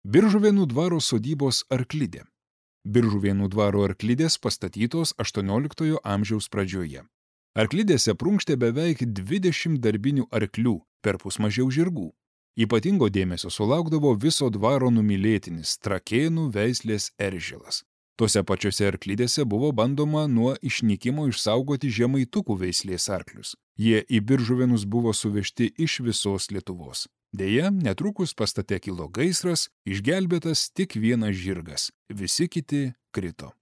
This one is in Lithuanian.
Biržuvėnų dvaro sodybos arklidė. Biržuvėnų dvaro arklidės pastatytos 18 amžiaus pradžioje. Arklidėse prunkštė beveik 20 darbinių arklių, perpus mažiau žirgų. Ypatingo dėmesio sulaukdavo viso dvaro numylėtinis Trakėnų veislės eržilas. Tose pačiose arklidėse buvo bandoma nuo išnykimo išsaugoti žemaitukų veislės arklius. Jie į Biržuvėnus buvo suvežti iš visos Lietuvos. Deja, netrukus pastate kilo gaisras, išgelbėtas tik vienas žirgas, visi kiti krito.